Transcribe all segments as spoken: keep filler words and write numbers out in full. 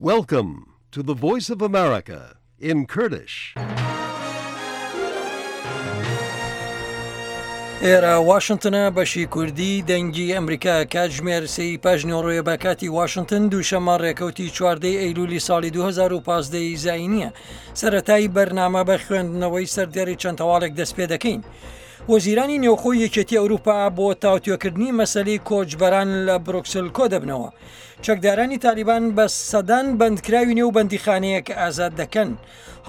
Welcome to the Voice of America in Kurdish. ئێرە واشنگتنە، بەشی کوردی دەنگی ئەمریکا. کاتژمێر سێی پاش نیوەڕۆیە بە کاتی واشنگتن، دووشەممە ڕێکەوتی چواردەی ئەیلولی ساڵی دوو هەزار و پازدە زاینیە. سەرەتای بەرنامە بە خوێندنەوەی سەردێڕی چەند هەواڵێک دەست پێ دەکەین. وەزیرانی نێوخۆی یەکێتی ئەوروپا بۆ تاوتوێکردنی مەسەلەی کۆچبەران لە برۆکسل کۆ دەبنەوە. چەکدارانی تالیبان بە سەدان بەندکراوی نێو بەندیخانەیەک ئازاد دەکەن.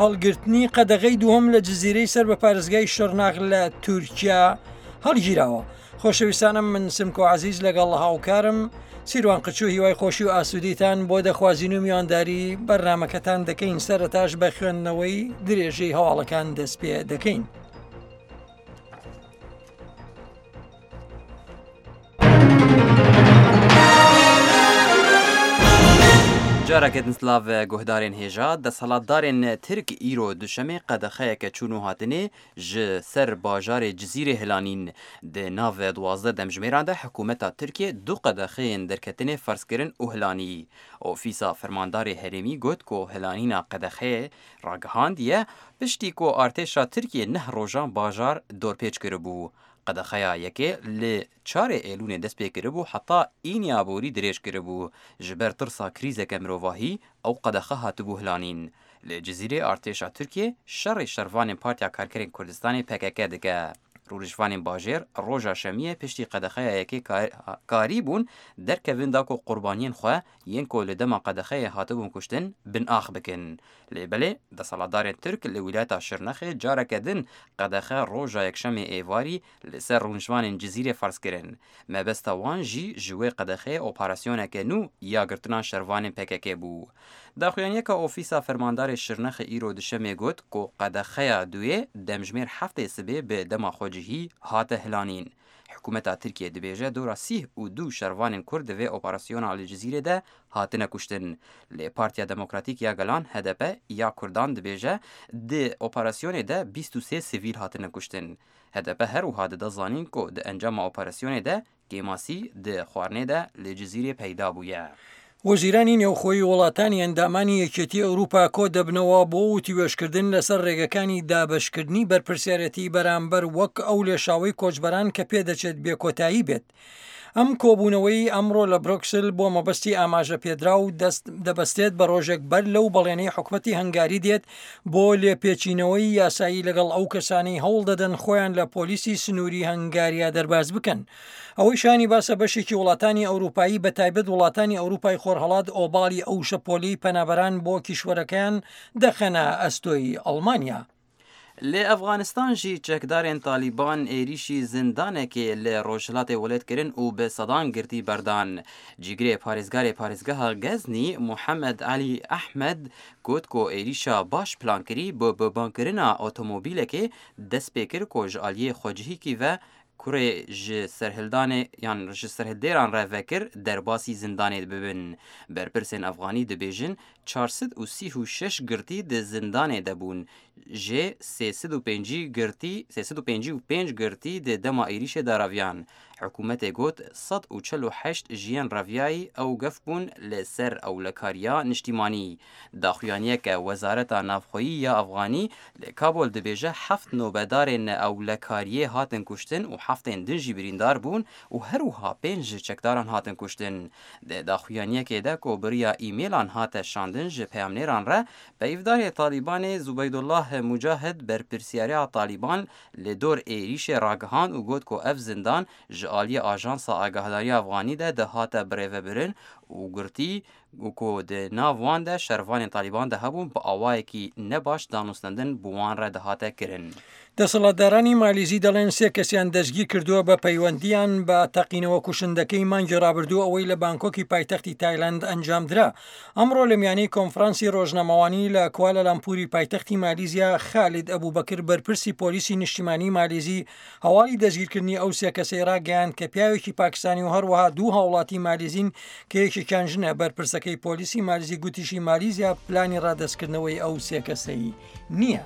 هەڵگرتنی قەدەغەی دووەم لە جززیرەی سەر بە پارێزگای شڕناخ لە تورکیا هەڵگیراوە. خۆشەویستانم، من سمکۆ عزیز لەگەڵ هاوکارم سیروان قچو هیوای خۆشی و ئاسوودیتان بۆ دەخوازین و میوانداری بەرنامەکەتان دەکەین. سەرەتاش بە خوێندنەوەی درێژەی هەواڵەکان دەست پێ دەکەین. Careke din silav guhdarên hêja. Desthilatdarên Tirk îro duşemê qedexeyeke çûn û hatinê ji ser bajarê Cizîrê hilanîn. Di nav duwazdeh demjimêran de hikûmeta Tirkiye du qedexeyên derketinê ferz kirin û hilanî. Ofîsa Fermandarê Herêmî got ku hilanîna qedexeyê ragihandiye piştî ku artêşa Tirkiye neh rojan bajar dorpêç kiribû. Qedexeya yekê li çarê Eylûnê dest pê kiribû, heta îniya borî dirêj kiribû. Ji ber tirsa krîzeke mirovahî ew qedexe hatibû hilanîn. Li Cizîrê artêşa Tirkiye şerê şervanên Partiya Karkerên Kurdistanê P K K dike. Rûniştvanên bajêr roja şemiyê piştî qedexeya yekê karîbûn derkevin da ku qurbaniyên xwe yên ku li dema qedexeyê hatibûn kuştin bin ax bikin. Lê belê desthilatdarên Tirk li wîlayeta Şirnexê careke din qedexe roja yekşemê êvarî li ser rûniştvanên Cizîrê ferz kirin. Mebesta wan jî ji wê qedexeyê operasyoneke nû ya girtina şervanên P K K bû. Daxuyaniyeka Ofîsa Fermandarê Şirnexê îro duşemê got ku qedexeya duyê demjimêr heftê sibê bi dema xwecihî hate hilanîn. Hikûmeta Tirkiye dibêje dora sîh û du şervanên Kurd di vê operasyona li Cizîrê de hatine kuştin. Lê Partiya Demokratîk ya Gelan H D P ya Kurdan dibêje di operasyonê de bîst û sê sivîl hatine kuştin. H D P her wiha dide zanîn ku di encama operasyonê de kêmasî di xwarinê de li Cizîrê peyda bûye. وەزیرانی نێوخۆی وڵاتانی ئەندامانی یەکێتی ئەوروپا کۆ دەبنەوە بۆ وتوێژکردن لەسەر ڕێگەکانی دابەشکردنی بەرپرسیارەتی بەرامبەر وەک ئەو لێشاوەی کۆچبەران کە پێدەچێت بێکۆتایی بێت. ئەم کۆبوونەوەی ئەمڕۆ لە برۆکسل بۆ مەبەستی ئاماژە پێدراو دەست دەبەستێت بە ڕۆژێک بەر لەو بەڵێنەی حکومەتی هەنگاری دێت بۆ لێپێچینەوەی یاسایی لەگەڵ ئەو کەسانەی هەوڵ دەدەن خۆیان لە پۆلیسی سنووری هەنگاریا دەرباز بکەن. ئەوەی شایانی باسە، بەشێکی وڵاتانی ئەوروپایی، بە تایبەت وڵاتانی ئەوروپای خۆرهەڵات، ئۆباڵی ئەو شەپۆلی پەنابەران بۆ کیشوەرەکەیان دەخەنە ئەستۆی ئەڵمانیا. Li Efxanistan jî çekdarên Talîban êrişî zindanekê li rojhilatê welêt kirin û bi sedan girtî berdan. Cîgirê parêzgarê parêzgeha Geznî Muhammed Elî Ehmed got ku êrişa baş plankirî bi bombebarkirina otomobîlekê dest pê kir ku ji aliyê xwecihîkî ve kurê ji serhildanê yan ji serhildêran re vekir derbasî zindanê bibin. Berpirsên Efxanî dibêjin çar sed û sî û şeş girtî di zindanê de bûn. Jê sê sed û pêncî girtî sê sed û pêncî û pênc girtî di dema êrişê de reviyan. Hikûmetê got sed û çel û heşt ji yên reviyayî ew gef bûn li ser ewlekariya niştîmanî. Daxuyaniyeke Wezareta Navxweyî ya Efxanî li Kabul dibêje heft nobedarên ewlekariyê hatin kuştin û heftên din jî birîndar bûn û her wiha pênc ji çekdaran hatin kuştin. Di daxuyaniyekê de ku bi riya e-mailan hate şandin ji peyamnêran re, peyvdarê Talîbanê Zubeydullah Mucahid berpirsiyariya Talîban li dor êrişê ragihand û got ku ev zindan ji aliyê Ajansa Agahdariya Efxanî de dihate birêvebirin û girtî ku di nav wan de şervanên Talîban de hebûn bi awayekî nebaş danûstandin bi wan re dihate kirin. دەسەڵاتدارانی مالیزی دەڵێن سێ کەسیان دەستگیر کردووە بە پەیوەندیان بە تەقینەوە کوشندەکەی مانگی ڕابردوو ئەوەی لە بانکۆکی پایتەختی تایلند ئەنجامدرا. ئەمڕۆ لە میانەی کۆنفرانسی ڕۆژنامەوانی لە کوالالامپوری پایتەختی مالیزیا، خالید ئەبوبەکر، بەرپرسی پۆلیسی نیشتیمانی مالیزی، هەواڵی دەستگیرکردنی ئەو سێ کەسەی ڕاگەیاند کە پیاوێکی پاکستانی و هەروەها دوو هاوڵاتی مالیزین کە یەکێکیان ژنە. بەرپرسەکەی پۆلیسی مالیزی گوتیشی مالیزیا پلانی ڕادەستکردنەوەی ئەو سێ کەسەی نییە.